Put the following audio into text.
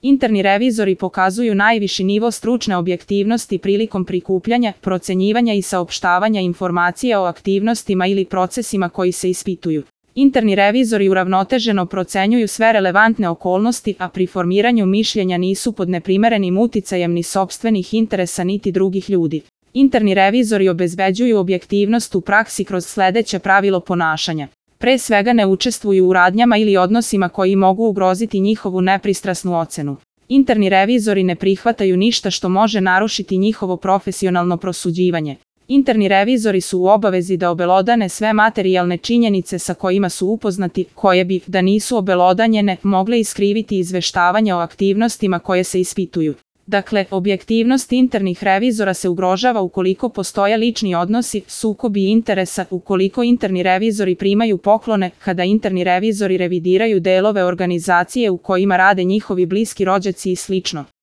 Interni revizori pokazuju najviši nivo stručne objektivnosti prilikom prikupljanja, procenjivanja i saopštavanja informacija o aktivnostima ili procesima koji se ispituju. Interni revizori uravnoteženo procenjuju sve relevantne okolnosti, a pri formiranju mišljenja nisu pod neprimerenim uticajem ni sopstvenih interesa niti drugih ljudi. Interni revizori obezbeđuju objektivnost u praksi kroz sledeće pravilo ponašanja. Pre svega ne učestvuju u radnjama ili odnosima koji mogu ugroziti njihovu nepristrasnu ocenu. Interni revizori ne prihvataju ništa što može narušiti njihovo profesionalno prosuđivanje. Interni revizori su u obavezi da obelodane sve materijalne činjenice sa kojima su upoznati, koje bi, da nisu obelodanjene, mogle iskriviti izveštavanje o aktivnostima koje se ispituju. Dakle, objektivnost internih revizora se ugrožava ukoliko postoje lični odnosi, sukobi interesa, ukoliko interni revizori primaju poklone, kada interni revizori revidiraju delove organizacije u kojima rade njihovi bliski rođaci i slično.